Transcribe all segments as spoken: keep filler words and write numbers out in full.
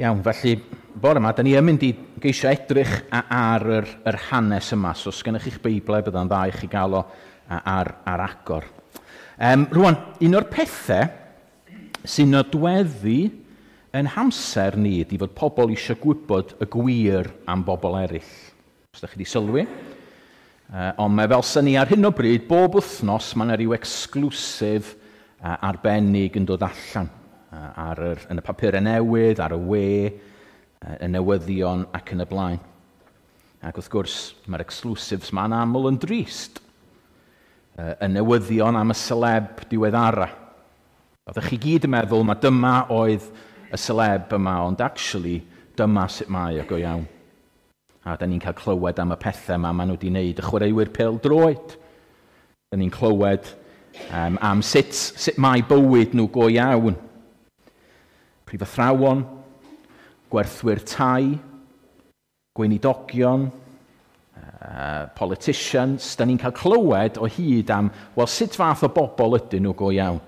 Iawn, felly bore yma, da ni yn mynd i geisio edrych ar yr, yr hanes yma. So, os gennych chi'ch Beiblau, bydda'n dda i chi gael o ar, ar agor. Um, rwan, un o'r pethau sy'n nodweddu yn hamser ni ydy fod pobl eisiau gwybod y gwir am bobl eraill. Os ydych chi wedi sylwi. Uh, ond mae fel sy'n ni ar hyn o bryd, bob wythnos, mae yna rhyw exclusive uh, arbennig yn dod allan ar yr, yn y papurau newydd, ar y we, y newyddion ac yn y blaen. Ac wrth gwrs, mae'r exclusives ma'n aml yn drist. Y newyddion am y celeb diweddara. Oeddech chi gyd yn meddwl, mae dyma oedd y celeb yma, ond actually, dyma sut mae o go iawn. A da ni'n cael clywed am y pethau yma maen nhw wedi wneud, y chwaraewyr pêl-droed. Da ni'n clywed um, am sut, sut mae bywyd nhw go iawn. Prifathrawon, gwerthwyr tai, gweinidogion, uh, politicians. Da ni'n cael clywed o hyd am, wel, sut fath o bobl ydyn nhw go iawn.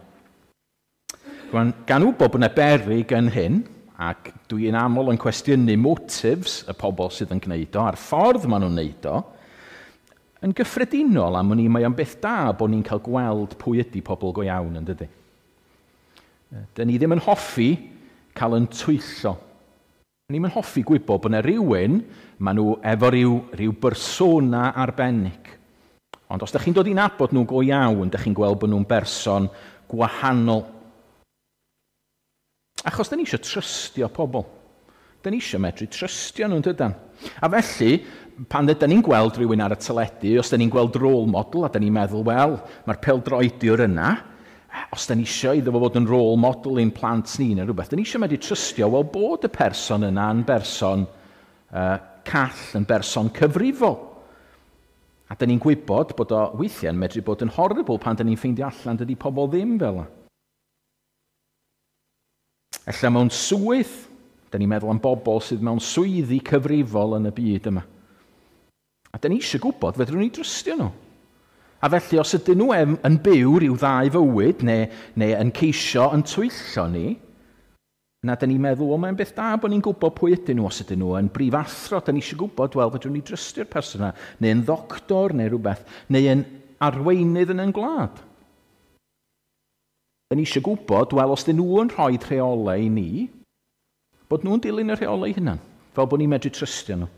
Rwan, gan wybod bod yna beryg yn hyn, ac dwi'n aml yn cwestiynu motives y pobl sydd yn gwneud o, a'r ffordd maen nhw'n gwneud o, yn gyffredinol am wn i, mae o'n beth da bod ni'n cael gweld pwy ydy pobl go iawn, yn dydy. Da ni ddim yn hoffi cael yn twyllo. Ni'n yn hoffi gwybod bod yna rhywun, maen nhw efo rhyw, rhyw bersona arbennig. Ond os ydych chi'n dod i nabod nhw go iawn, ydych chi'n gweld bod nhw'n berson gwahanol. Achos da ni eisiau trystio pobl. Da ni eisiau medru trystio nhw'n dydan. A felly, pan ydyn ni'n gweld rhywun ar y teledu, os da ni'n gweld role model, a da ni'n meddwl, wel, mae'r pêl-droediwr yna, os da ni eisiau iddo fo fod yn role model i'n plant ni neu rhywbeth, da ni eisiau medru trystio, wel, bod y person yna yn berson uh, call, yn berson cyfrifol. A da ni'n gwybod bod o weithiau'n medru bod yn horrible pan da ni'n ffeindio allan dydy pobl ddim fel yna. Ella mewn swydd, da ni'n meddwl am bobl sydd mewn swyddi cyfrifol yn y byd yma. A da ni eisiau gwybod, fedrwn ni drystio nhw. A felly, os ydyn nhw yn byw rhyw ddau fywyd, neu, neu yn ceisio yn twyllo ni, na da ni'n meddwl, o, mae'n beth da bod ni'n gwybod pwy ydyn nhw. Os ydyn nhw yn brifathro, da ni eisiau gwybod, wel, fedrwn ni drystio'r person yna, neu yn ddoctor, neu rhywbeth, neu yn arweinydd yn ein gwlad. Da ni eisiau gwybod, wel, os dyn nhw yn rhoi rheolau i ni, bod nhw'n dilyn y rheolau hunan, fel bod ni'n medru trystio nhw.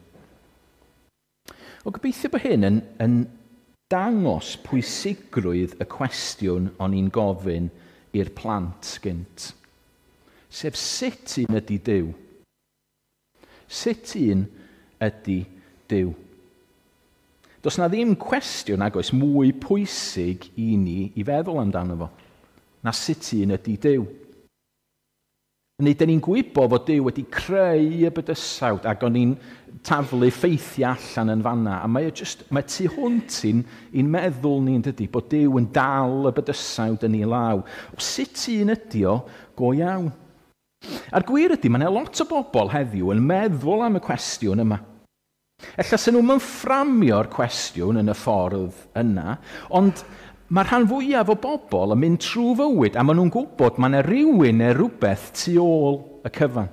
O, gobeithio bod hyn yn, yn dangos pwysigrwydd y cwestiwn o'n i'n gofyn i'r plant gynt. Sef sut un ydy Duw? Sut un ydy Duw? Does na ddim cwestiwn nag oes mwy pwysig i ni i feddwl amdano fo, na sut un ydy Duw. Neu, dyn ni'n gwybod fod Duw wedi creu y bydysawd ac o'n ni'n taflu ffeithiau allan yn fanna. A mae o just, mae tu hwnt i'n, i'n meddwl ni'n dydy, bod Duw yn dal y bydysawd yn ei law. O, sut un ydy o go iawn? A'r gwir ydy, mae yna lot o bobl heddiw yn meddwl am y cwestiwn yma. Ella sy'n nhw'n fframio'r cwestiwn yn y ffordd yna, ond mae'r rhan fwyaf o bobl yn mynd trwy fywyd a maen nhw'n gwybod mae yna rhywun neu rhywbeth tu ôl y cyfan.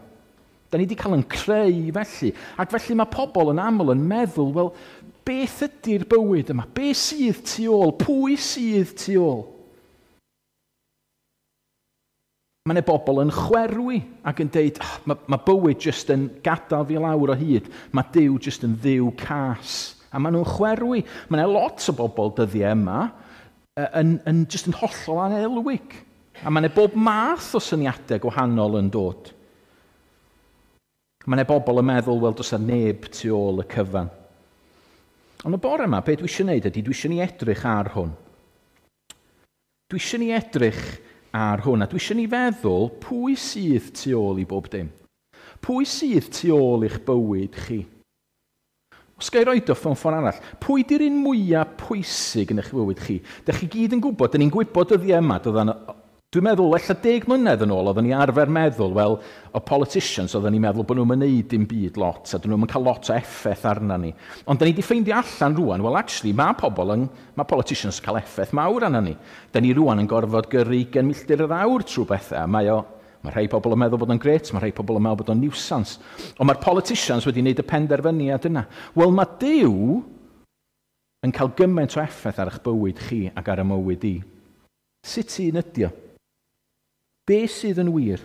Da ni wedi cael yn creu felly. Ac felly mae pobl yn aml yn meddwl, wel, beth ydy'r bywyd yma? Be sydd tu ôl? Pwy sydd tu ôl? Mae yna bobl yn chwerwi ac yn deud, oh, mae, mae bywyd jyst yn gadael fi lawr o hyd. Mae Duw jyst yn ddiw cas. A maen nhw'n chwerwi. Mae yna lot o bobl dyddiau yma yn, yn just yn hollol anelwig. A mae yna bob math o syniadau gwahanol yn dod. Mae yna bobl yn meddwl, wel, does yna neb tu ôl y cyfan. Ond y bore yma, be dwi eisiau gwneud ydy, dwi eisiau ni edrych ar hwn. Dwi eisiau ni edrych ar hwn, a dwi eisiau ni feddwl pwy sydd tu ôl i bob dim. Pwy sydd tu ôl i'ch bywyd chi? Os ga i roed o mewn ffordd arall, pwy di'r un mwyaf pwysig yn eich bywyd chi? Dych chi gyd yn gwybod, dyn ni'n gwybod dyddiau yma, dyddan, dwi'n meddwl, ella deg mlynedd yn ôl, oedden ni arfer meddwl, wel, o politicians, oedden ni'n meddwl bod nhw'n mynd dim byd lot, a dyn nhw'n cael lot o effaith arna ni. Ond dyn ni wedi ffeindio allan rwan, wel, actually, mae pobl yn, mae politicians yn cael effaith mawr arna ni. Dyn ni rwan yn gorfod gyrru ugain milltir yr awr trwy bethau, mae o, Mae rhai pobl yn meddwl bod o'n grêt, mae rhai pobl yn meddwl bod o'n nuisance. Ond mae'r politicians wedi wneud y penderfyniad yna. Wel, mae Duw yn cael gymaint o effaith ar eich bywyd chi ac ar y mywyd i. Sut un ydi o? Be sydd yn wir?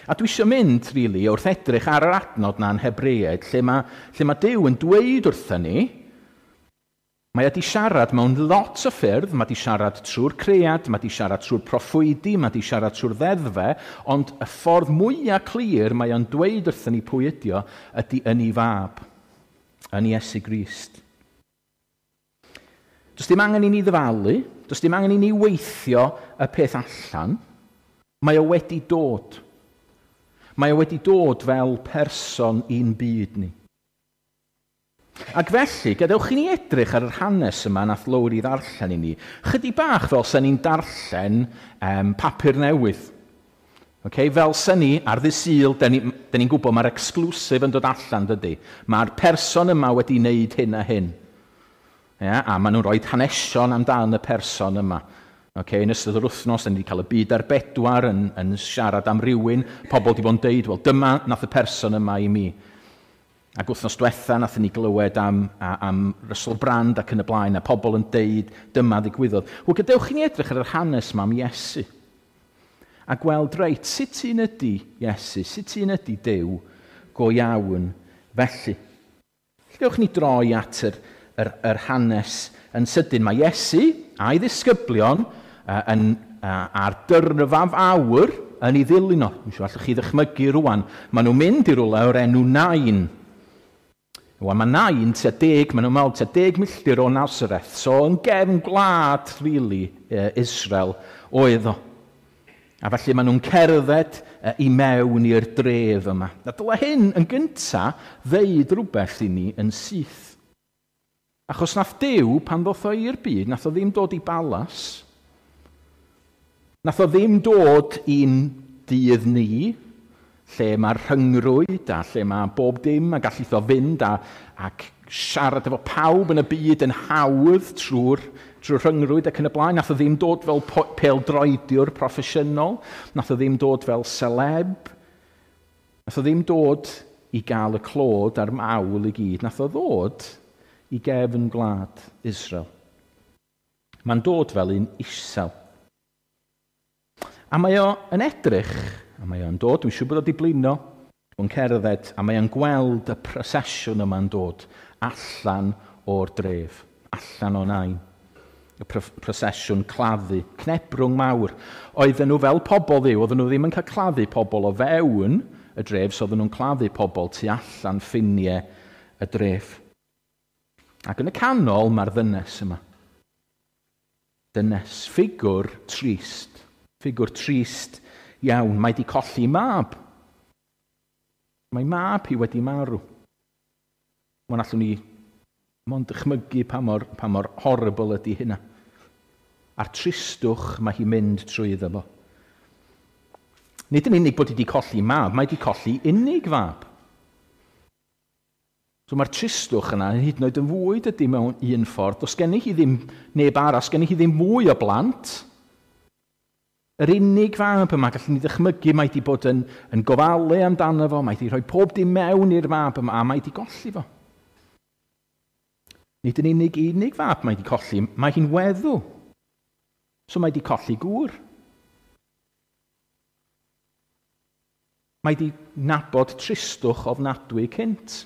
A dwi eisiau mynd, really, wrth edrych ar yr adnod na'n Hebreaid, lle mae, lle mae Duw yn dweud wrthyn ni, mae wedi siarad mewn lot o ffyrdd, mae wedi siarad trwy'r cread, mae wedi siarad trwy'r proffwydi, mae wedi siarad trwy'r ddeddfe, ond y ffordd mwyaf clir mae o'n dweud wrthyn ni pwy ydi o, ydy yn ei fab, yn Iesu Grist. Does dim angen i ni ddyfalu, does dim angen i ni weithio y peth allan, mae o wedi dod. Mae o wedi dod fel person i'n byd ni. Ac felly, gadewch i ni edrych ar yr hanes yma nath Lowri ddarllen i ni. Chydig bach fel sen ni'n darllen um, papur newydd. Okay? Fel sen ni ar ddydd Sul, da ni'n ni gwybod mae'r exclusive yn dod allan, dydy. Mae'r person yma wedi wneud hyn a hyn. Yeah? A maen nhw'n rhoi hanesion amdan y person yma. Okay, yn ystod yr wythnos, da ni wedi cael y Byd ar Bedwar yn, yn siarad am rywun. Pobl wedi bod yn deud, wel, dyma nath y person yma i mi. Ac wythnos diwetha, nath ni glywed am, am Russell Brand ac yn y blaen, a pobl yn deud, dyma ddigwyddodd. Wel, gadewch i ni edrych ar yr hanes yma am Iesu. A gweld, reit, sut un ydy Iesu, sut un ydy Duw go iawn felly. Gadewch ni droi at yr, yr, yr hanes yn sydyn. Mae Iesu a'i ddisgyblion uh, yn, uh, ar dyrfa fawr yn ei ddilyn o. Dwi'n siŵr allwch chi ddychmygu rwan. Maen nhw'n mynd i rywle o'r enw Nain. Wel, mae Nain tua deg, maen nhw'n meddwl tua deg milltir o Nazareth. So, yn gefn gwlad, really, Israel oedd o. A felly maen nhw'n cerdded i mewn i'r dref yma. A dyle hyn yn gynta ddeud rhywbeth i ni yn syth. Achos nath Duw, pan ddoth o i'r byd, nath o ddim dod i balas. Nath o ddim dod i'n dydd ni, lle mae'r rhyngrwyd a lle mae bob dim a gallith o fynd a, ac siarad efo pawb yn y byd yn hawdd trwy'r trwy rhyngrwyd ac yn y blaen. Nath o ddim dod fel pêl-droediwr proffesiynol, nath o ddim dod fel celeb, nath o ddim dod i gael y clod a'r mawl i gyd. Nath o ddod i gefn gwlad Israel. Mae'n dod fel un isel. A mae o yn edrych, a mae o'n dod, dwi'n siŵr bod o wedi blino, o'n cerdded, a mae o'n gweld y prosesiwn yma'n dod allan o'r dref, allan o Nain. Y prosesiwn claddu, cnebrwng mawr. Oedden nhw fel pobl Dduw, oedden nhw ddim yn cael claddu pobl o fewn y dref, so oedden nhw'n claddu pobl tu allan ffiniau y dref. Ac yn y canol mae'r ddynes yma. Dynes, ffigwr trist. Ffigwr trist iawn. Mae di colli mab. Mae mab hi wedi marw. Mae'n allwn ni mond dychmygu pa mor, pa mor horrible ydy hynna. A'r tristwch mae hi'n mynd trwy iddo fo. Nid yn unig bod hi wedi colli mab, mae wedi colli unig fab. So mae'r tristwch yna hyd yn oed yn fwy dydy mewn un ffordd. Does gennych hi ddim neb arall, gennych hi ddim mwy o blant. Yr unig fab yma, gallwn ni ddychmygu, mae wedi bod yn, yn gofalu amdano fo, mae wedi rhoi pob dim mewn i'r mab yma, a mae wedi golli fo. Nid yn unig unig fab mae wedi colli, mae hi'n weddw. So mae wedi colli gŵr. Mae wedi nabod tristwch ofnadwy cynt.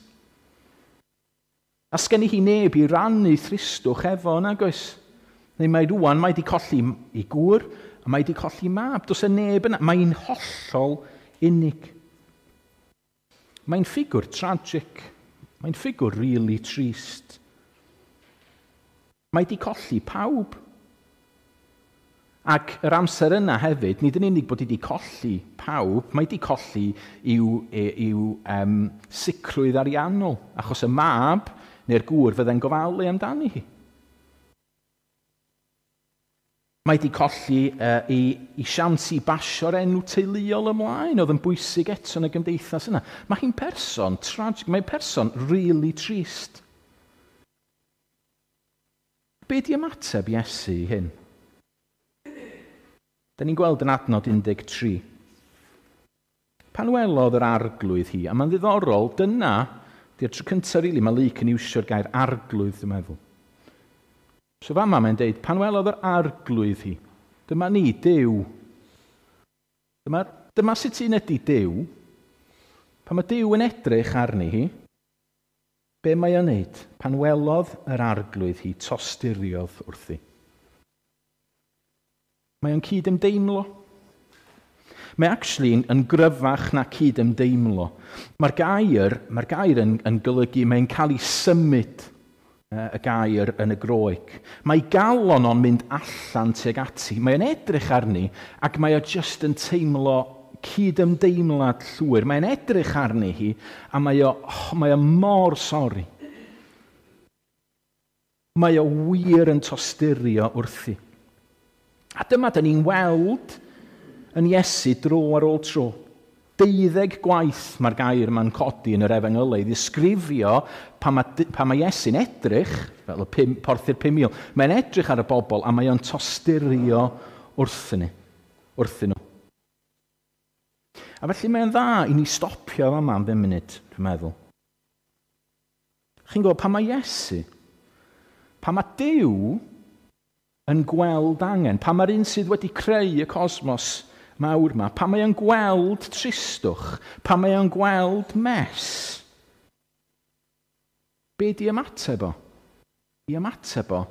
A sgenni hi neb i rannu thristwch efo, nag oes? Neu mae rwan, mae wedi colli ei gŵr, a mae wedi colli mab. Does y neb yna. Mae'n hollol unig. Mae'n ffigwr tragic. Mae'n ffigwr really trist. Mae wedi colli pawb. Ac yr amser yna hefyd, nid yn unig bod wedi colli pawb, mae wedi colli i'w, i'w um, sicrwydd ariannol, achos y mab neu'r gŵr fydde'n gofalu amdani hi. Mae wedi colli uh, i, i siawns i basio'r enw teuluol ymlaen, oedd yn bwysig eto yn y gymdeithas yna. Mae hi'n person tragic, mae'n person really trist. Be di ymateb Iesu i hyn? Da ni'n gweld yn adnod un deg tri. Pan welodd yr arglwydd hi, a mae'n ddiddorol, dyna, di'r tro cyntaf rili, mae Luc yn iwsio'r gair arglwydd, dwi'n meddwl. So fama mae'n deud, pan welodd yr arglwydd hi, dyma ni, Duw. Dyma, dyma sut un ydy Duw. Pan mae Duw yn edrych arni hi, be mae o'n neud? Pan welodd yr arglwydd hi, tosturiodd wrthi. Mae o'n cyd-ymdeimlo. Mae actually yn, yn gryfach na cyd-ymdeimlo. Mae'r gair, mae'r gair yn, yn golygu, mae'n cael ei symud y gair yn y Groeg. Mae galon o'n mynd allan tuag ati. Mae'n edrych arni ac mae o just yn teimlo cyd-ymdeimlad llwyr. Mae'n edrych arni hi a mae o, oh, mae o mor sori. Mae o wir yn tosturio wrthi. A dyma dyn ni'n weld yn Iesu dro ar ôl tro. Deuddeg gwaith mae'r gair yma'n codi yn yr Efengylau i ddisgrifio pan mae, pan mae Iesu'n edrych, fel y pum, porthu'r pum mil, mae'n edrych ar y bobl a mae o'n tosturio wrthyn ni, wrthyn nhw. A felly mae'n dda i ni stopio fama am bum munud, dwi'n meddwl. Chi'n gwybod, pan mae Iesu, pan mae Duw yn gweld angen, pan mae'r un sydd wedi creu y cosmos mawr yma, pan mae o'n gweld tristwch, pan mae o'n gweld mess, be di ymateb o? I ymateb o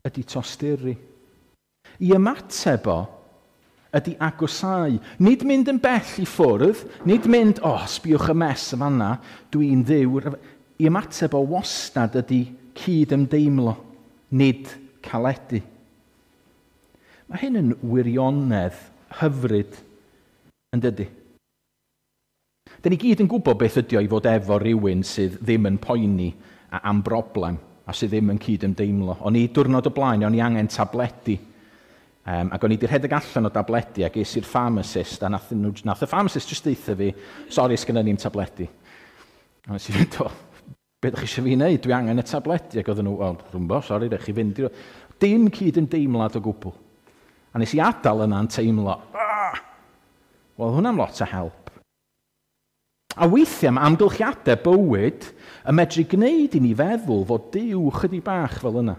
ydy tosturi. I ymateb o ydy agosau. Nid mynd yn bell i ffwrdd, nid mynd, o, oh, sbiwch y mess y fanna, dwi'n ddiw. I ymateb o wastad ydy cyd-ymdeimlo, nid caledu. Mae hyn yn wirionedd hyfryd, yn dydy. Dyn ni gyd yn gwybod beth ydy o i fod efo rhywun sydd ddim yn poeni am broblem a sydd ddim yn cyd-ymdeimlo. O'n i diwrnod o blaen, o'n i angen tabledi. Um, ac o'n i wedi rhedeg allan o dabledi a ges i'r pharmacist, a nath, nhw, nath y pharmacist jyst deutha fi, sori, sgynna ni'm tabledi. A nes i fynd, o, be ydych chi eisiau fi wneud? Dwi angen y tabledi. Ac oedden nhw, wel, rwmbo, sori, rhaid chi fynd. Dim cyd-ymdeimlad o gwbl. A nes i adael yna'n teimlo, ah! Wel, hwnna'n lot o help. A weithiau mae amgylchiadau bywyd yn medru gwneud i ni feddwl fod Duw chydig bach fel yna.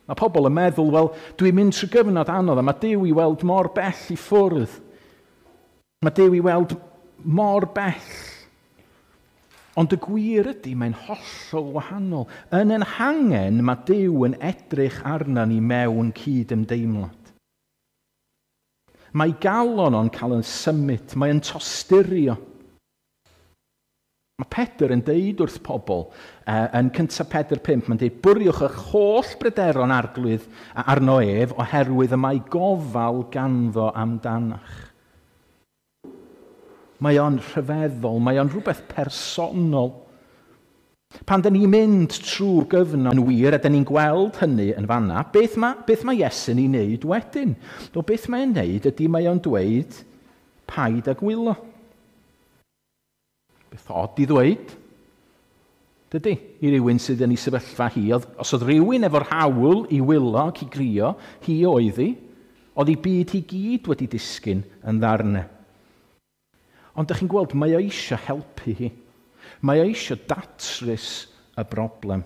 Mae pobl yn meddwl, wel, dwi'n mynd trwy gyfnod anodd a mae Duw i weld mor bell i ffwrdd. Mae Duw i weld mor bell. Ond y gwir ydy, mae'n hollol wahanol. Yn ein hangen, mae Duw yn edrych arna ni mewn cyd-ymdeimlad. Mae galon o'n cael yn symud, mae'n tosturio. Mae Pedr yn deud wrth pobl, uh, yn cyntaf Pedr pump, mae'n deud, bwriwch eich holl bryderon arglwydd arno ef, oherwydd y mae gofal ganddo amdanach. Mae o'n rhyfeddol, mae o'n rhywbeth personol. Pan dyn ni'n mynd trwy'r gyfnod yn wir, a dyn ni'n gweld hynny yn fanna, beth mae, beth mae Iesu'n ei wneud wedyn? O, beth mae'n wneud ydy mae o'n dweud, paid â gwylo. Beth od i ddweud, dydy, i rywun sydd yn ei sefyllfa hi. Oedd, os oedd rhywun efo'r hawl i wylo ac i grio, hi oedd hi, oedd ei byd hi gyd wedi disgyn yn ddarnau. Ond dych chi'n gweld, mae o eisiau helpu hi. Mae o eisiau datrys y broblem.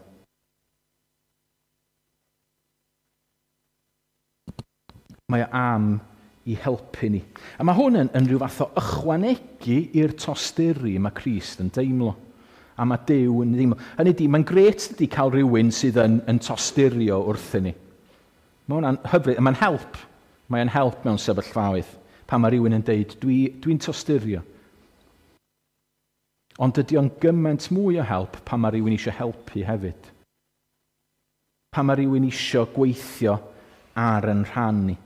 Mae o am i helpu ni. A mae hwn yn, yn rhyw fath o ychwanegu i'r tosturi mae Crist yn deimlo. A mae Duw yn deimlo. Hynny ydy, mae'n grêt ydy cael rhywun sydd yn, yn tosturio wrthyn ni. Mae hwnna'n hyfryd, mae'n help. Mae'n help mewn sefyllfaoedd. Pan mae rhywun yn deud, dwi, dwi'n tosturio. Ond dydy o'n gymaint mwy o help pan mae rhywun eisiau helpu hefyd. Pan mae rhywun eisiau gweithio ar yn rhan ni.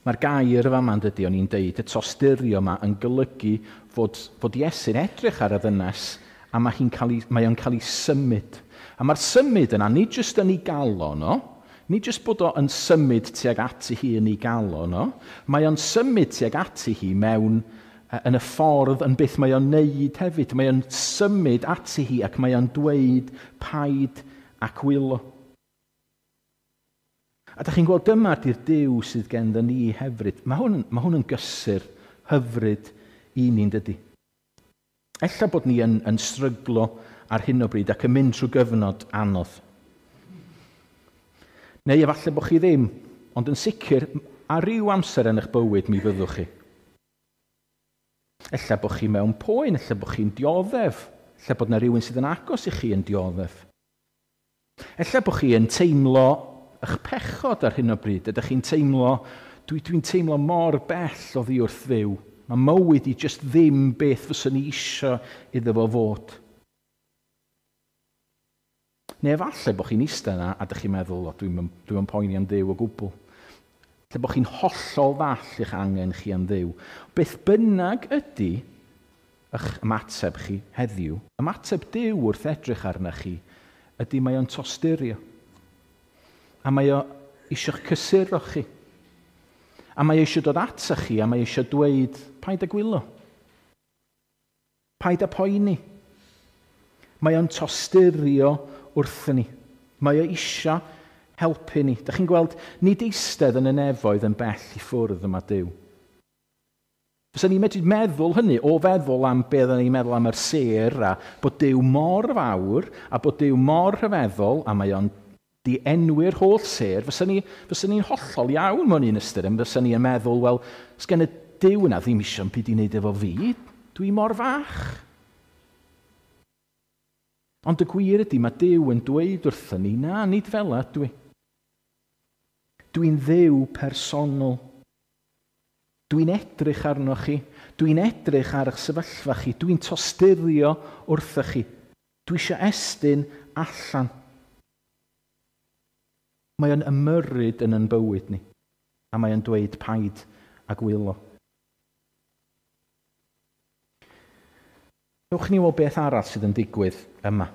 Mae'r gair yma yn dydy, o'n i'n deud, y tosturio yma yn golygu fod, fod Iesu'n edrych ar y ddynes a mae, hi'n cael ei, mae o'n cael ei symud. A mae'r symud yna, nid jyst yn ei galon o, nid jyst bod o yn symud tuag ati hi yn ei galon o, mae o'n symud tuag ati hi mewn yn y ffordd yn beth mae o'n neud hefyd. Mae o'n symud ati hi ac mae o'n dweud paid ac wylo. A da chi'n gweld dyma di'r Duw sydd genddo ni hefyd. Mae hwn, mae hwn yn gysur hyfryd i ni'n dydy. Ella bod ni yn, yn stryglo ar hyn o bryd ac yn mynd trwy gyfnod anodd. Neu efallai bod chi ddim, ond yn sicr, ar ryw amser yn eich bywyd mi fyddwch chi. Ella bod chi mewn poen, ella bod chi'n dioddef, ella bod yna rhywun sydd yn agos i chi yn dioddef. Ella bod chi yn teimlo eich pechod ar hyn o bryd. Ydych chi'n teimlo, dwi, dwi'n teimlo mor bell oddi wrth Dduw. Mae mywyd i jyst ddim beth fyswn i isio iddo fo fod. Neu efallai bod chi'n eistedd yna a ydych chi'n meddwl, o, dwi'n dwi poeni am Dduw o gwbl. Lle bod chi'n hollol ddall i'ch angen chi am Dduw. Beth bynnag ydy eich ymateb chi heddiw, ymateb Duw wrth edrych arna chi, ydy mae o'n tosturio. A mae o eisiau'ch cysuro chi. A mae o eisiau dod ata chi, a mae eisiau dweud, paid â gwylo. Paid â poeni. Mae o'n tosturio wrthyn ni. Mae o eisiau helpu ni. Dach chi'n gweld, nid eistedd yn y nefoedd yn bell i ffwrdd yma Duw. Fysa ni'n medru meddwl hynny, o feddwl am be oedden ni'n meddwl am yr sêr, a bod Duw mor fawr, a bod Duw mor rhyfeddol, a mae o'n di enwi'r holl sêr, fysa ni, fysa ni'n hollol iawn mewn un ystyr, fysa ni'n meddwl, wel, sgen y Duw yna ddim eisiau byd i wneud efo fi, dwi mor fach. Ond y gwir ydy, mae Duw yn dweud wrthyn ni, na, nid fel 'na dwi. Dwi'n Dduw personol. Dwi'n edrych arnoch chi. Dwi'n edrych ar eich sefyllfa chi. Dwi'n tosturio wrthych chi. Dwi eisiau estyn allan. Mae o'n ymyrryd yn yn bywyd ni. A mae o'n dweud paid a gwylo. Ewch ni weld beth arall sydd yn digwydd yma.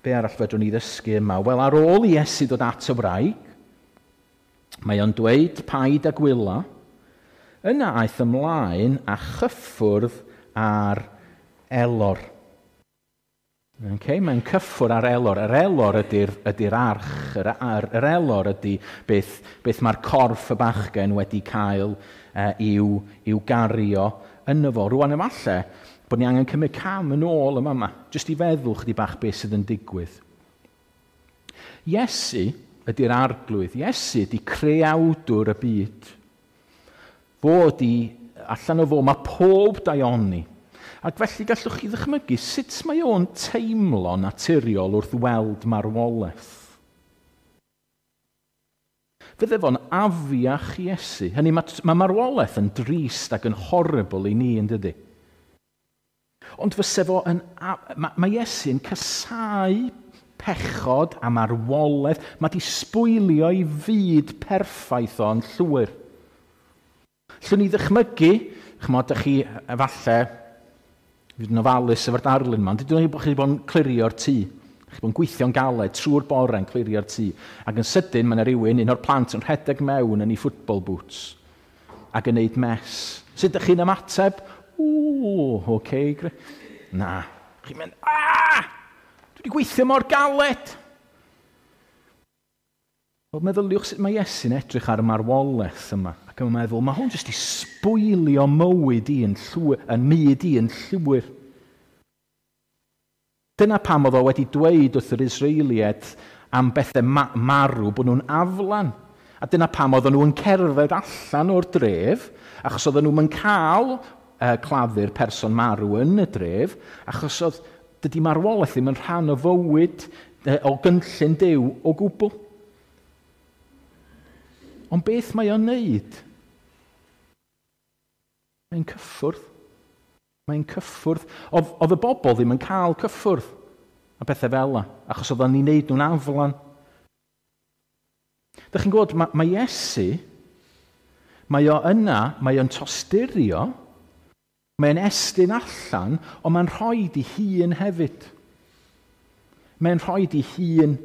Be arall fedrwn ni ddysgu yma? Wel, ar ôl i Iesu ddod at y wraig, mae o'n dweud paid a gwylo. Yna aeth ymlaen a chyffwrdd ar elor. Okay, mae'n cyffwrdd ar elor. Yr elor ydy'r ydy arch. Yr, yr, yr elor ydy beth, beth mae'r corff y bachgen wedi cael uh, i'w, i'w gario yno fo. Rwan efallai bod ni angen cymryd cam yn ôl yma yma, jyst i feddwl chydig bach beth sydd yn digwydd. Iesu ydy'r arglwydd. Iesu ydy creawdwr y byd. Fo ydy, allan o fo, mae pob daioni. Ac felly gallwch chi ddychmygu sut mae o'n teimlo naturiol wrth weld marwolaeth. Fydde fo'n afiach Iesu. Hynny, mae, mae marwolaeth yn drist ac yn horrible i ni, yn dydy? Ond fyse fo yn... Mae, mae Iesu'n casáu pechod a marwolaeth. Mae di sbwylio ei fyd perffaith o'n llwyr. Llwn ni ddychmygu, chymod, dych chi efallai, fydd yn ofalus efo'r darlun yma, ond dydyn ni bod chi wedi bod yn clirio'r tŷ. Chi wedi bod yn gweithio'n galed trwy'r bore yn clirio'r tŷ. Ac yn sydyn, mae yna rhywun, un o'r plant, yn rhedeg mewn yn ei football boots ac yn neud mess. Sut ydych chi'n ymateb? Ww, oce, okay, na. Chi'n mynd, aah! Dwi wedi gweithio mor galed! Wel, meddyliwch sut mae Iesu'n edrych ar y marwolaeth yma. Ac yn meddwl, mae hwn jyst i sbwylio mywyd i yn llwyr, yn myd i yn llwyr. Dyna pam oedd o wedi dweud wrth yr Israeliaid am bethau ma- marw bod nhw'n aflan. A dyna pam oedden nhw'n cerdded allan o'r dref, achos oedden nhw'n cael uh, claddu'r person marw yn y dref, achos oedd dydy marwolaeth ddim yn rhan o fywyd, uh, o gynllun Duw o gwbl. Ond beth mae o'n neud? Mae'n cyffwrdd. Mae'n cyffwrdd. Oedd, oedd y bobl ddim yn cael cyffwrdd a pethau fel la, achos oedd o'n ni'n neud nhw'n aflan. Dych chi'n gwybod, mae, mae Iesu, mae o yna, mae o'n tosturio, mae'n estyn allan, ond mae'n rhoi i hun hefyd. Mae'n rhoi i hun.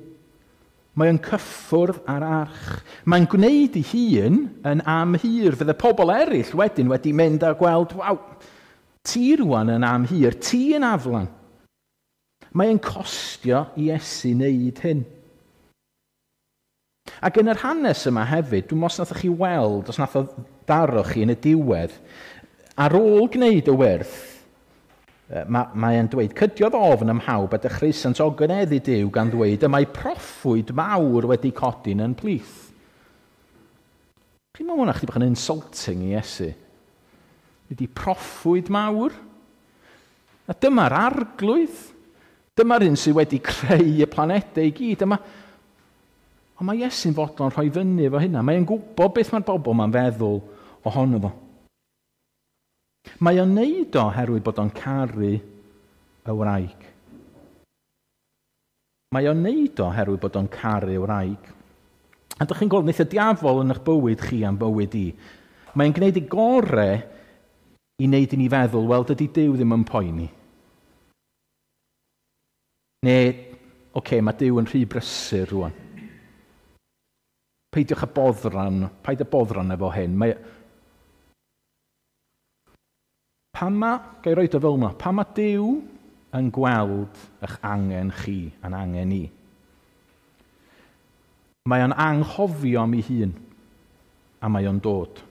Mae o'n cyffwrdd ar arch. Mae'n gwneud ei hun yn amhur. Fydde pobl eraill wedyn wedi mynd a gweld, waw, ti rwan yn amhur, ti yn aflan. Mae'n costio i Iesu wneud hyn. Ac yn yr hanes yma hefyd, dwi'n meddwl os nath chi weld, os nath o daro chi yn y diwedd, ar ôl gwneud y wyrth, mae, mae e'n dweud, cydiodd ofn ym mhawb a dechreusant ogoneddu Duw gan ddweud, y mae proffwyd mawr wedi codi'n yn plith. Chi'n meddwl hwnna chdi bach yn insulting i Iesu? Ydy proffwyd mawr? A dyma'r arglwydd. Dyma'r un sydd wedi creu y planedau i gyd. Dyma... Ond mae Iesu'n fodlon rhoi fyny efo hynna. Mae'n gwybod beth mae'r bobl ma'n feddwl ohono fo. Mae o'n neud o oherwydd bod o'n caru y wraig. Mae o'n neud o oherwydd bod o'n caru y wraig. A dych chi'n gweld, wneith y diafol yn eich bywyd chi a'n bywyd i. Mae'n gwneud ei gore i wneud i ni feddwl, wel, dydy Duw ddim yn poeni. Neu, oce, okay, mae Duw yn rhy brysur rwan. Peidiwch â boddran, paid â boddran efo hyn. Mae... Pan ma, ga i roed o fel yma, pan ma Duw yn gweld eich angen chi a'n angen i, mae o'n anghofio am ei hun, a mae o'n dod.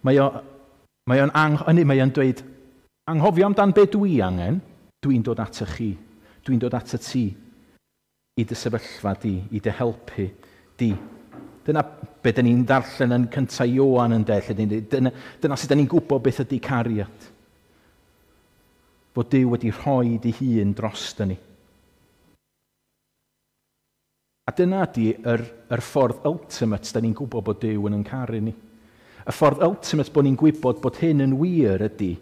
Mae o, mae o'n, ang, mae o'n dweud, anghofio amdan be dwi angen, dwi'n dod at y chi, dwi'n dod at y ti, i dy sefyllfa di, i dy helpu di. Dyna be dyn ni'n darllen yn cyntaf Ioan yn de, lle dyna, dyna sut dyn ni'n gwybod beth ydy cariad. Fod Duw wedi rhoi dy hun dros ni. A dyna ydy yr, yr ffordd ultimate dyn ni'n gwybod bod Duw yn yn caru ni. Y ffordd ultimate bod ni'n gwybod bod hyn yn wir ydy,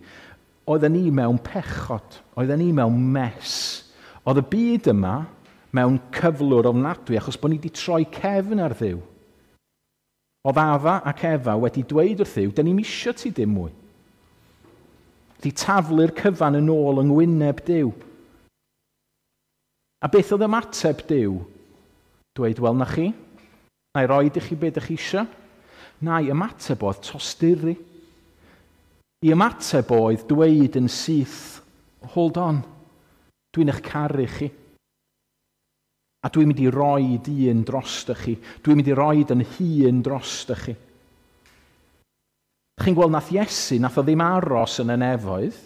oedden ni mewn pechod, oedden ni mewn mess. Oedd y byd yma mewn cyflwr ofnadwy achos bod ni wedi troi cefn ar Dduw. Oedd Afa ac Efa wedi dweud wrth Dduw, dyn ni'm isio ti dim mwy. Di taflu'r cyfan yn ôl yng ngwyneb Duw. A beth oedd ymateb Duw? Dweud, wel na chi, na i roed i chi beth ydych chi eisiau. Na i ymateb oedd tosturi. I ymateb oedd dweud yn syth, hold on, dwi'n eich caru chi. A dwi'n mynd i roed un drosto chi. Dwi'n mynd i roed yn hun drosto chi. Chi'n gweld nath Iesu, nath o ddim aros yn y nefoedd.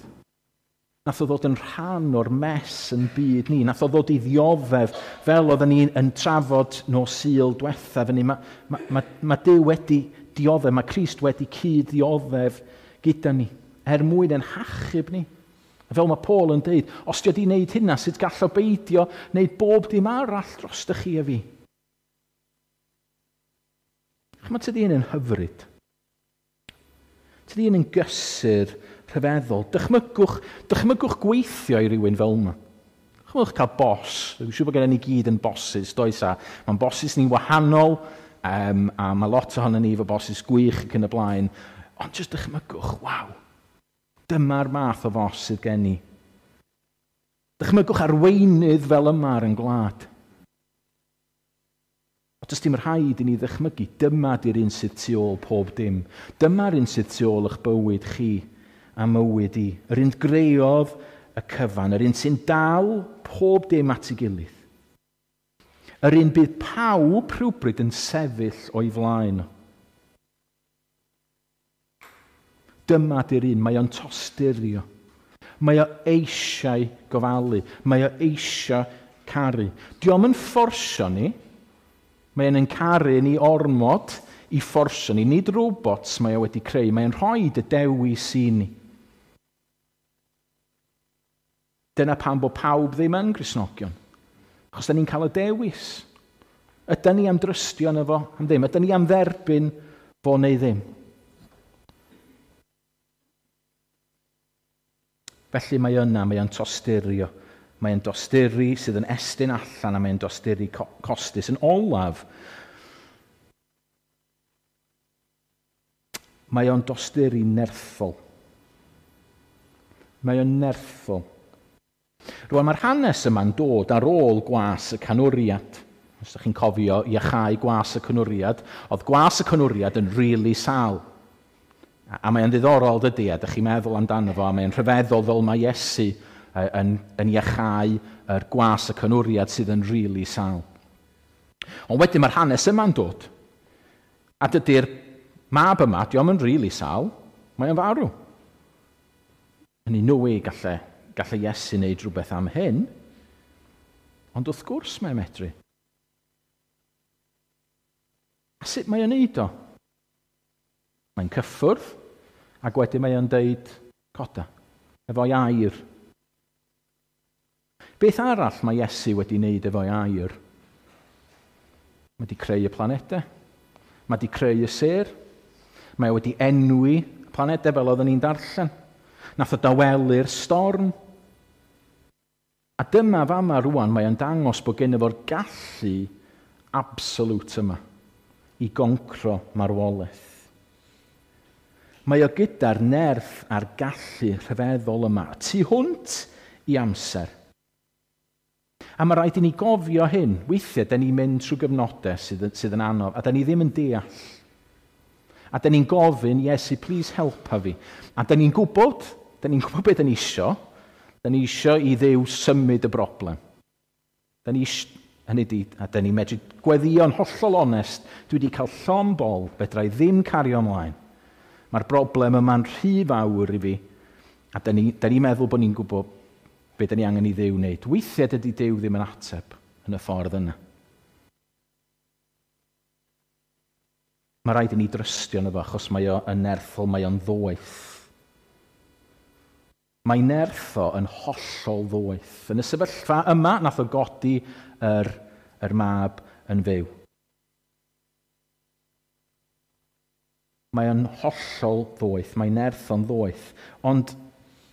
Nath o ddod yn rhan o'r mess yn byd ni. Nath o ddod i ddioddef fel oedden ni yn trafod nos Sul diwethaf. Mae ma, ma, ma Duw wedi dioddef, mae Crist wedi cyd-ddioddef gyda ni, er mwyn yn hachub ni. A fel mae Paul yn dweud, os di wedi wneud hynna, sut gall o beidio wneud bob dim arall dros chi a fi? Chymod, tydi hyn yn hyfryd. Tydi hyn yn gysur rhyfeddol. Dychmygwch, dychmygwch gweithio i rywun fel yma. Dychmygwch cael bos. Dwi'n siŵr bod gen ni gyd yn bosses, does a? Mae'n bosses ni'n wahanol, um, a mae lot ohono ni efo bosses gwych ac yn y blaen. Ond jyst dychmygwch, waw, dyma'r math o fos sydd gen i. Dychmygwch arweinydd fel yma ar yn gwlad. O, does dim rhaid i ni ddychmygu, dyma di'r un sydd tu ôl pob dim. Dyma'r un sydd tu ôl eich bywyd chi a mywyd i. Yr un greodd y cyfan, yr un sy'n dal pob dim at ei gilydd. Yr un bydd pawb rhywbryd yn sefyll o'i flaen. Dyma di'r un, mae o'n tosturio. Mae o eisiau gofalu. Mae o eisiau caru. Dio'm yn fforsio ni. Mae o'n caru ni ormod i fforsio ni. Nid robots mae o wedi creu. Mae o'n rhoi y dewis i ni. Dyna pam bod pawb ddim yn Gristnogion. Achos da ni'n cael y dewis. Ydy ni am drystio yno fo am ddim? Ydy ni am dderbyn fo neu ddim? Felly mae yna, mae o'n tosturio. Mae o'n dosturi sydd yn estyn allan a mae o'n dosturi costus. Yn olaf, mae o'n dosturi nerthol. Mae o'n nerthol. Rwan, mae'r hanes yma'n dod ar ôl gwas y canwriad. Os ydych chi'n cofio iachau gwas y canwriad, oedd gwas y canwriad yn rili really sâl. A mae'n ddiddorol dydy, a ydych chi'n meddwl amdano fo, a mae'n rhyfeddol fel mae Iesu yn, yn iachau yr gwas y canwriad sydd yn rili really sâl. Ond wedyn mae'r hanes yma'n dod. A dydy'r mab yma, dio'm yn rili really sâl, mae o'n farw. Hynny, no way gallai, gallai Iesu wneud rhywbeth am hyn, ond wrth gwrs mae'n medru. A sut mae o'n neud o? Mae'n cyffwrdd, ac wedyn mae o'n deud, coda, efo'i air. Beth arall mae Iesu wedi wneud efo'i air? Mae wedi creu y planedau. Mae wedi creu y sêr. Mae wedi enwi y planedau fel oedden ni'n darllen. Nath o dawelu'r storm. A dyma fama rwan mae o'n dangos bod gen fo'r gallu absolute yma i goncro marwolaeth. Mae o gyda'r nerth a'r gallu rhyfeddol yma, tu hwnt i amser. A mae rhaid i ni gofio hyn. Weithiau, da ni'n mynd trwy gyfnodau sydd, sydd yn anodd, a da ni ddim yn deall. A da ni'n gofyn, Iesu, please helpa fi. A da ni'n gwybod, da ni'n gwybod beth da ni isio. Da ni isio i Dduw symud y broblem. Da ni isio, hynny di, a da ni'n medru gweddïo'n hollol onest, dwi wedi cael llon bol, fedra i ddim cario ymlaen. Mae'r broblem yma'n rhy fawr i fi, a da ni'n ni meddwl bod ni'n gwybod be da ni angen i Dduw wneud. Weithiau dydy Duw ddim yn ateb yn y ffordd yna. Mae rhaid i ni drystio yno fo, achos mae o yn nerthol, mae o'n ddoeth. Mae nerth o yn hollol ddoeth. Yn y sefyllfa yma, nath o godi yr, yr mab yn fyw. Mae o'n hollol ddoeth, mae nerth o'n ddoeth. Ond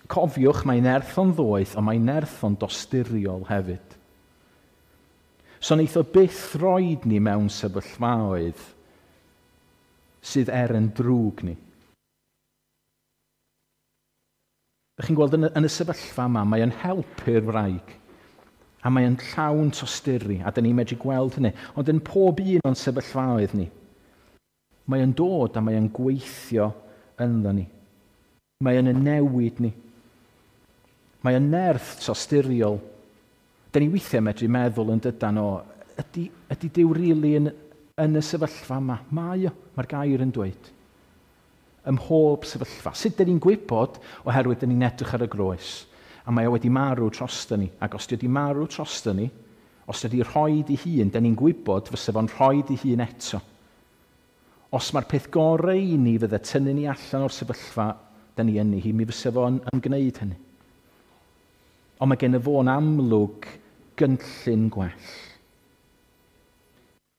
cofiwch, mae nerth o'n ddoeth, ond mae nerth o'n dosturiol hefyd. So wneith o byth roed ni mewn sefyllfaoedd sydd er yn drwg ni. Dych chi'n gweld yn y, yn y sefyllfa yma, mae o'n helpu'r wraig. A mae o'n llawn tosturi, a dyn ni'n medru gweld hynny. Ond yn pob un o'n sefyllfaoedd ni, mae o'n dod a mae o'n gweithio ynddo ni. Mae o'n newid ni. Mae o'n nerth tosturiol. Dyn ni weithiau medru meddwl yn dydan o, ydy, ydy Duw rili yn, yn y sefyllfa yma? Mae o, mae'r gair yn dweud. Ym mhob sefyllfa. Sut dyn ni'n gwybod? Oherwydd dyn ni'n edrych ar y groes. A mae o wedi marw drosto ni. Ac os di wedi marw drosto ni, os wedi rhoi ei hun, dyn ni'n gwybod fysa fo'n rhoi ei hun eto. Os mae'r peth gorau i ni fydde tynnu ni allan o'r sefyllfa dyn ni yn hi, mi fysa fo'n yn gwneud hynny. Ond mae gen y fo'n amlwg gynllun gwell.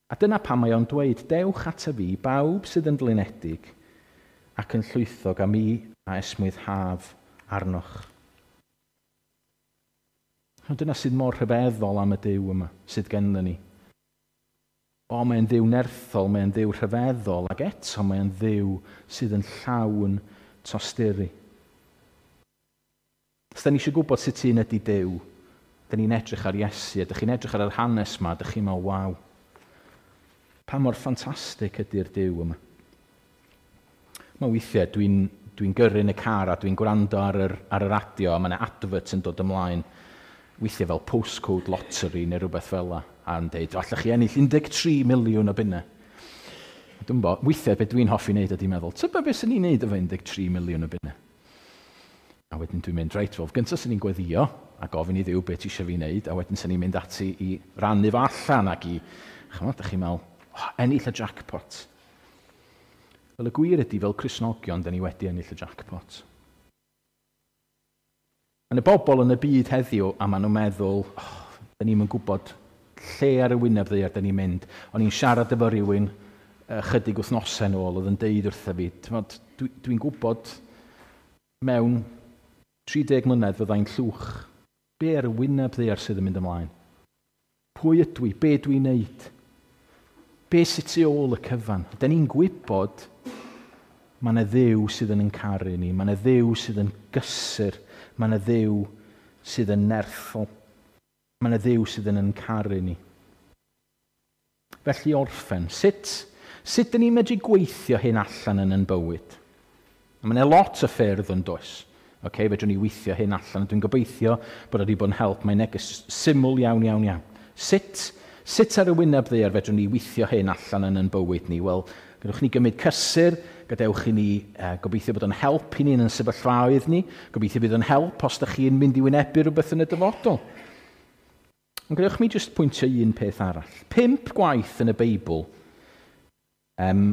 A dyna pam mae o'n dweud, dewch ata fi, bawb sydd yn flinedig ac yn llwythog, a mi a esmwyth haf arnoch. Ond dyna sydd mor rhyfeddol am y Duw yma sydd gennym ni. O, mae'n Dduw nerthol, mae'n Dduw rhyfeddol, ac eto mae'n Dduw sydd yn llawn tosturi. Os da ni eisiau gwybod sut un ydy Duw, da ni'n edrych ar Iesu, a da chi'n edrych ar yr hanes yma, da chi'n meddwl, waw, pa mor ffantastig ydy'r Duw yma. Mae weithiau dwi'n dwi gyrru yn y car a dwi'n gwrando ar yr, ar y radio, a mae yna advert yn dod ymlaen, weithiau fel postcode lottery neu rhywbeth fel la, a yn deud, allwch chi ennill un deg tri miliwn o bunnau. Dwi'n bo, weithiau beth dwi'n hoffi wneud ydy meddwl, tybed beth sy'n ni'n neud efo un deg tri miliwn o bunnau? A wedyn dwi'n mynd, reit, wel, gyntaf sy'n ni'n gweddio a gofyn i Dduw beth ti eisiau fi wneud, a wedyn sy'n ni'n mynd ati i rannu fo allan ac i, chymod, dych chi'n meddwl, oh, ennill y jackpot. Wel, y gwir ydy, fel Cristnogion, da ni wedi ennill y jackpot. Mae yna bobl yn y byd heddiw, a maen nhw'n meddwl, oh, da ni'n gwybod lle ar y wyneb ddaear da ni'n mynd. O'n i'n siarad efo rhywun ychydig wythnosau nôl, oedd yn deud wrtha fi, dwi'n dwi gwybod mewn tri deg mlynedd fyddai'n llwch. Be ar y wyneb ddaear sydd yn mynd ymlaen? Pwy ydw i? Be dwi'n neud? Be sydd tu ôl y cyfan? Da ni'n gwybod mae yna Dduw sydd yn caru ni, mae yna Dduw sydd yn gysur, mae yna Dduw sydd yn nerthol, mae yna Dduw sydd yn caru ni. Felly orffen, sut, sut dyn ni'n medru gweithio hyn allan yn yn bywyd? Mae yna lot o ffyrdd yn does. Okay, fedrwn ni weithio hyn allan. Dwi'n gobeithio bod wedi bod yn help. Mae'n neges syml iawn, iawn, iawn. Sut, sut ar y wyneb ddaear fedrwn ni weithio hyn allan yn yn bywyd ni? Wel, gadewch ni gymryd cysur, gadewch i ni uh, gobeithio bod yn help i ni yn yn sefyllfaoedd ni, gobeithio bydd yn help os ydych chi'n mynd i wynebu rhywbeth yn y dyfodol. Ond gadewch mi jyst pwyntio un peth arall. Pump gwaith yn y Beibl, um,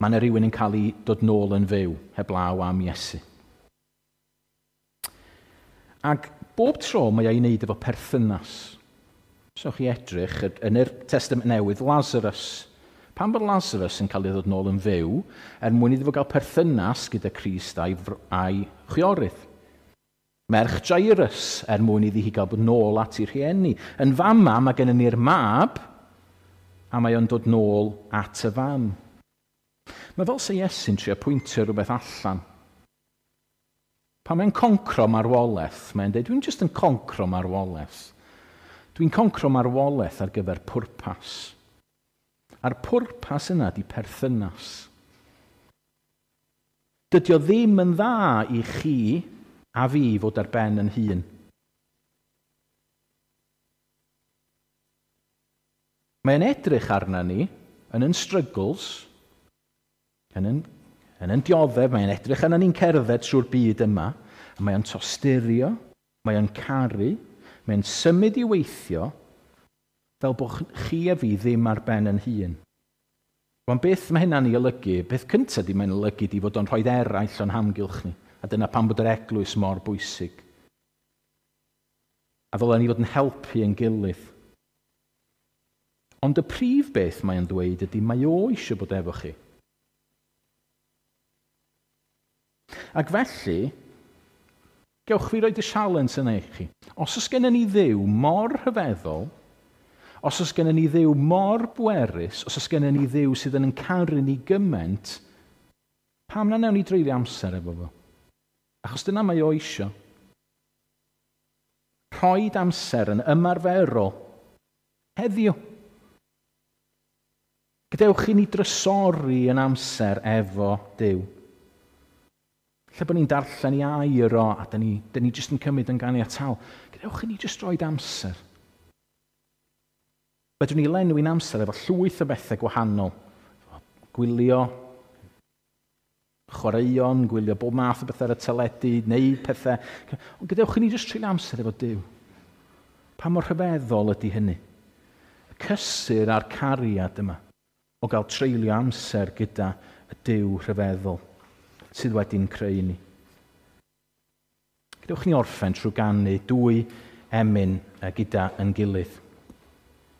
mae yna rhywun yn cael ei dod nôl yn fyw, heblaw am Iesu. Ac bob tro mae o'i wneud efo perthynas. So chi edrych, yn yr Testament Newydd, Lazarus. Pan bod Lazarus yn cael ei ddod nôl yn fyw, er mwyn iddo fo gael perthynas gyda Crist a'i, a'i chwiorydd. Merch Jairus, er mwyn iddi hi gael bod nôl at ei rhieni. Yn fama, mae gennym ni'r mab, a mae o'n dod nôl at y fam. Mae fel se Iesu'n trio pwyntio rhywbeth allan. Pan mae'n concro marwolaeth, mae'n dweud, dwi'n jyst yn concro marwolaeth. Dwi'n concro marwolaeth ar gyfer pwrpas. A'r pwrpas yna di perthynas. Dydy o ddim yn dda i chi a fi fod ar ben yn hun. Mae'n edrych arna ni yn yn struggles, yn yn, yn yn dioddef, mae'n edrych arna ni'n cerdded trwy'r byd yma, a mae'n tosturio, mae'n caru, mae'n symud i weithio, fel bod chi a fi ddim ar ben yn hun. Wan beth mae hynna'n ei olygu? Beth cyntaf di mae'n olygu di fod o'n rhoi eraill o'n hamgylch ni. A dyna pam bod yr eglwys mor bwysig. A ddylen ni fod yn helpu yn gilydd. Ond y prif beth mae'n dweud ydy mae o eisiau bod efo chi. Ac felly, gewch fi roed y sialens yna i chi. Os oes gennym ni Dduw mor rhyfeddol, os oes gennym ni Dduw mor bwerus, os oes gennym ni Dduw sydd yn caru ni gymaint, pam na newn ni dreulio amser efo fo? Achos dyna mae o eisiau. Rhoid amser yn ymarferol heddiw. Gadewch i ni drysori yn amser efo Duw. Lle bod ni'n darllen i air o, a dyn ni, dyn ni jyst yn cymryd yn ganiataol. Gadewch i ni jyst roed amser. Fedrwn ni lenwi'n amser efo llwyth o bethau gwahanol. Gwylio, chwaraeon, gwylio bob math o bethau ar y teledu, neud pethau. Ond gadewch i ni jyst treulio amser efo Duw. Pa mor rhyfeddol ydy hynny? Y cysur a'r cariad yma o gael treulio amser gyda y Duw rhyfeddol sydd wedi'n creu ni. Gadewch ni orffen trwy ganu dwy emyn gyda yn gilydd.